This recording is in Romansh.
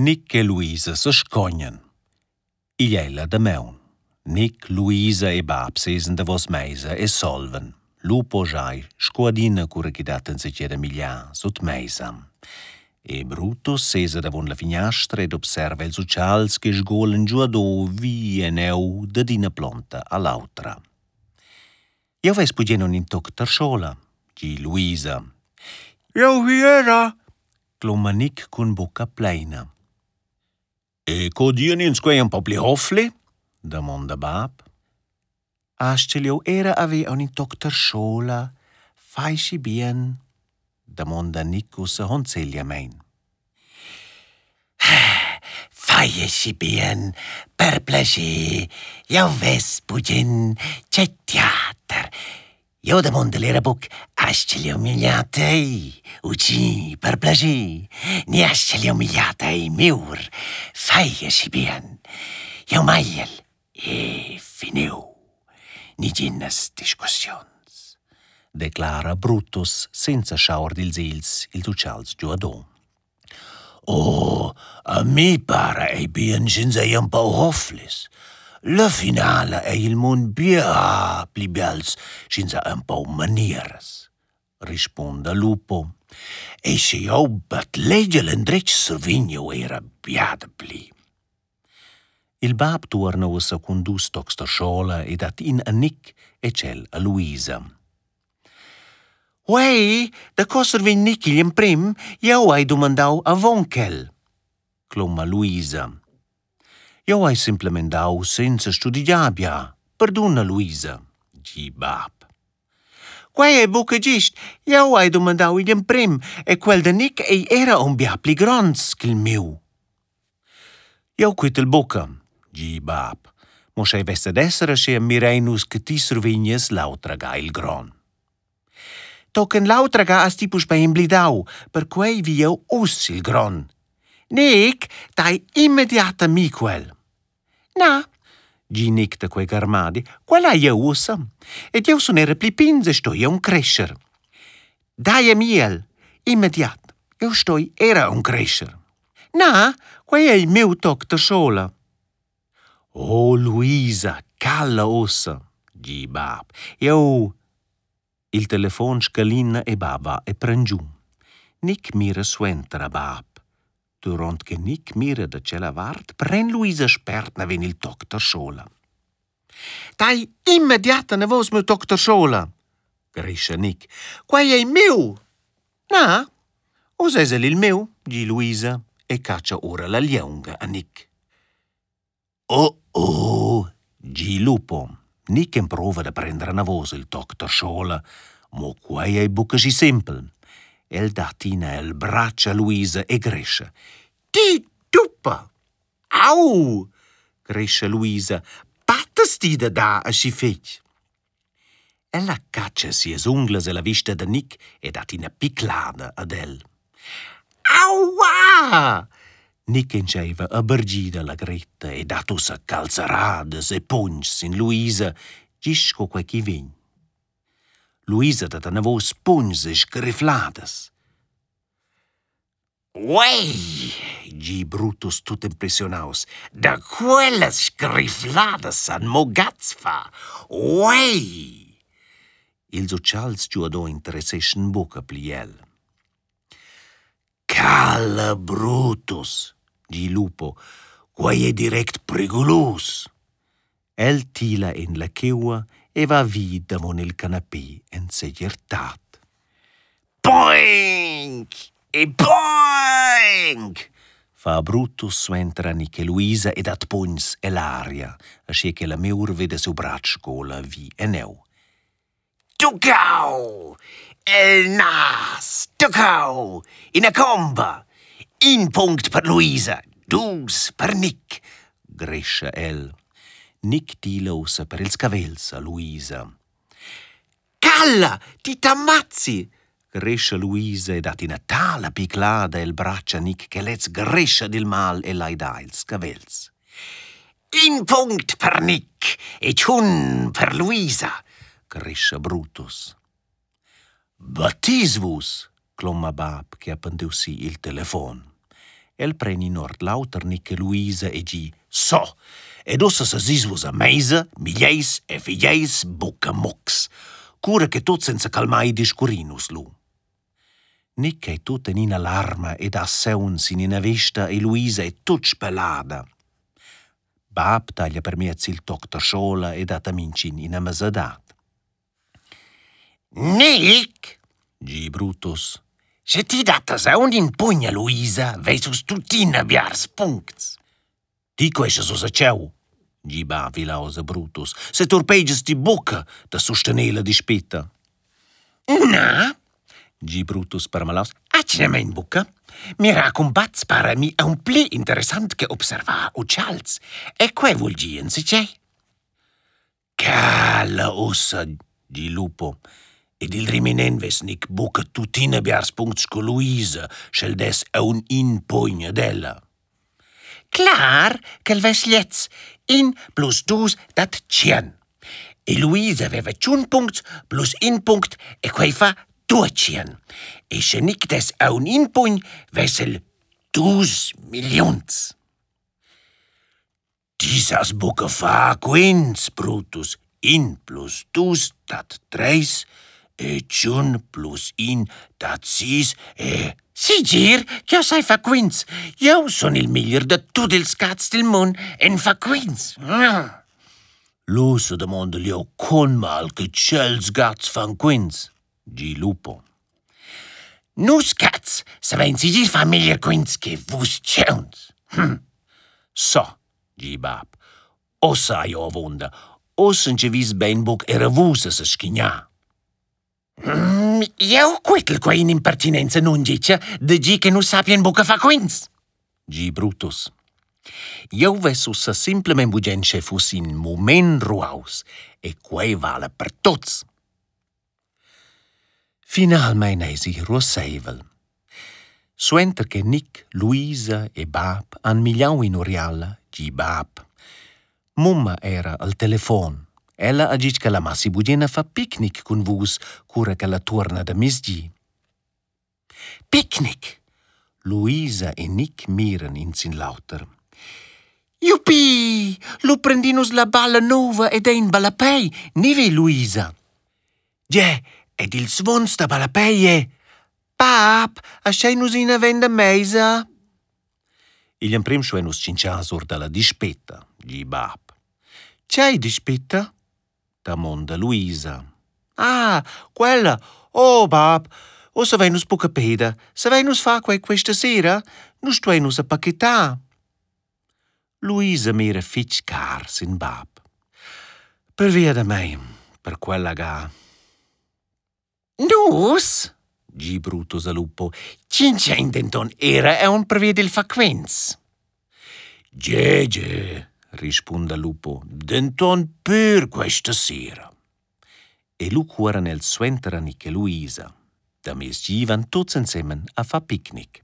Nick e Luisa sescognan. Igl ei la damaun. Nick, Luisa e bab sesen davos meisa e solvan. Lupo schai sco adina cura ch'i dat enzatgei da migliar sut meisa. E Brutus sesa davon la finiastra ed observa ils utschals che sgolan giuado vi e neu dad ina plonta a l'autra. Jeu vess bugen aunc in toc terschola, di Luisa. Jeu vi era, cloma Nick cun bucca pleina. E co dian ins quei empau pli hofli? damonda bab. Astgel jeu era haver aunc in toc terschola? Fai schi bien? damonda Nick ussa honzegliamein. Fai aschi bien, per plascher, jeu vess bugen tgei teater. Jeu damondel era buc, astgel jeu migliar tei? Ugi, per plascher, ni astgel jeu migliar tei, miur? Fai aschi bien, jeu magliel e finiu. Neginas discussiuns, declara Brutus senza schar dils egls ils utschals giuadon. Oh, a mi para ei bien sch'ins ei empau hoflis. La finala ei il mund bia pli bials sch'ins ha empau manieras, rispunda Lupo. E sche jeu batlegel endretg survegn jeu era bia dapli. Il bab tuorna ussa cun dus tocs terschola e dat in a Nic e tschel a Luisa. Uei, daco survegn Nic igl emprem? Jeu hai dumandau avon quel, cloma Luisa. Jeu hai semplamein dau senza studegiar bia. Perduna, Luisa, di bab. Quei ei buca gest. Jeu hai dumandau igl emprem e quel da Nic ei era aunc bia pli gronds ch'il miu. Jeu quetel buca, gi bab, mo sch'ei vess dad esser aschia mirein nus che ti survegnies l'autra ga il gron. Tochen l'autra ga has ti puspei emblidau, perquei vi jeu uss il gron. Nic, dai immediat a mi quel. Na, gi Nic da quei garmadi, quel hai jeu ussa. Ed jeu sun era pli pigns e stoi aunc crescher. Dai a mi el, immediat, jeu stoi era aunc crescher. Na, quei ei miu toc da schola. Oh, Luisa, cala ussa, gi bab. Jeu... Il telefon scalina e bab va e pren giu. Nic mira suenter a bab. Duront che Nic mira da tschella vart, pren Luisa spert naven il toc da schola. Dai immediat anavos miu toc da schola, grescha Nic. Quei ei miu! Na, uss eis el il miu, di Luisa e catscha ora la lieunga a Nic. Oh, oh, gi Lupo. Nic emprova da prender anavos il toc terschola, mo quei ei buca schi sempel. El dat ina el bratsch a Luisa e grescha. Ti tuppa! Au! grescha Luisa. Battas ti da dar aschi fetg? Ella catscha sias unglas ella vista da Nic e dat ina piclada ad el. Aua! Nic entscheiva a bargir dalla gretta e dat ussa calzeradas e pugns sin Luisa, gist sco quei ch'i vegn. Luisa dat anavos pugns e sgrifladas. Uei, gi Brutus tut impressionaus, da quellas sgrifladas san mo gats far. Uei! Ils utschals giuadò interesseschan buca pli el. Cala Brutus, gi Lupo, quei ei direct prigulus. El tila en la cheua e va vi davon il canapé en segirtad. Boing! E boing! fa Brutus suenter a Nic e Luisa e dat pugns ell'aria, aschia che la miur veda siu bratsch sgola vi e neu. Tuccau! El nas! Tuccau! Ina comba! In punct per Luisa, dus per Nic, grescha el. Nic tila ussa per ils cavels a Luisa. Calla, ti t'ammazzi! grescha Luisa e dat ina tala piclada el bratsch a Nic che lez grescha dil mal e lai dar ils cavels. In punct per Nic e tschun per Luisa, grescha Brutus. Battis vus? cloma bab che ha pendiu si il telefon. El pren in ord l'auter Nick e Luisa e gi So, ed ussa sesis vus a meisa, miglieis e figeis buca mucs. Cura che tuts ein secalmai discurrin nus lu. Nick ei tut en ina larma ed ha saun sin ina vesta e Luisa ei tut spelada. Bab taglia permiez il toc terschola e dat a mintgin ina mesadad. Nick, gi Brutus, sche ti dattas aunc in pugn a Luisa, veis vus tuttina biars puncts. Ti queschas ussa tscheu, gi bab vilaus a Brutus, seturpegias ti buca da sustener la dispeta. Na, gi Brutus permalaus, atgnamein buca. Mirar cumbats para mi aunc pli interessant che observar utschals, e quei vul dir enzatgei. Cala ussa, di Lupo. Ed il reminent vess Nick buca tuttina biars puncts sco Luisa, sch'el dess aunc in pugn ad ella. Clar ch'el vess gliez. In plus dus dat tschien. E Luisa veva tschun puncts plus in punct e quei fa duatschien. E sche Nick dess aunc in pugn, vess el dus milliuns. Ti sas buca far quints, Brutus. In plus dus dat treis e tschun plus in dat sis e... Segir ch'jeu sai far quints. Jeu sun il meglier da tut ils cats dil mund en far quints. Lu sedamondel jeu con mal che tschels gats fan quints, gi Lupo. Nus cats savein segir far meglier quints che vus tgauns. Hm. So, gi bab, ussa hai jeu avunda. Ussa entschevis bein buc era vus a seschignar. Mm, jeu quetel quei in'impertinenza nunditga da dir che nus sappien buca far quints, gi Brutus. Jeu vess ussa simplamein bugen sche fuss in mument ruaus e quei vala per tuts. Finalmein eisi ruasseivel. Suenter che Nic, Luisa e bab han migliau in'uriala, gi bab. Mumma era al telefon. Ella ha ditg ch'ella massi bugen a far picnic cun vus, cura ch'ella tuorna da miezdi. Picnic! Luisa e Nic miran in sin l'auter. Jupi! Lu prendin nus la balla nova ed ein ballapei, neve Luisa? Gie, ed ils svons da ballapei e... Bab, aschein nus ina venda meisa? Igl emprem stuein nus tschintschar sur dalla dispeta, gi bab. Tgei dispeta? damonda Luisa. Ah, quella! Oh, bab, ussa vein nus buca peda. Savein nus far quei questa sera? Nus stuein ussa pachetar. Luisa mira fetg car sin bab. Pervia da mei, per quella ga. Nus, gi Brutus a Lupo, tschintschein denton era aunc pervia dil far quens. Gie, gie, rispunda Lupo, denton pür questa sera. E lu cuoran els suenter a Nic e Luisa. Da miezgi van tuts ensemen a far picnic.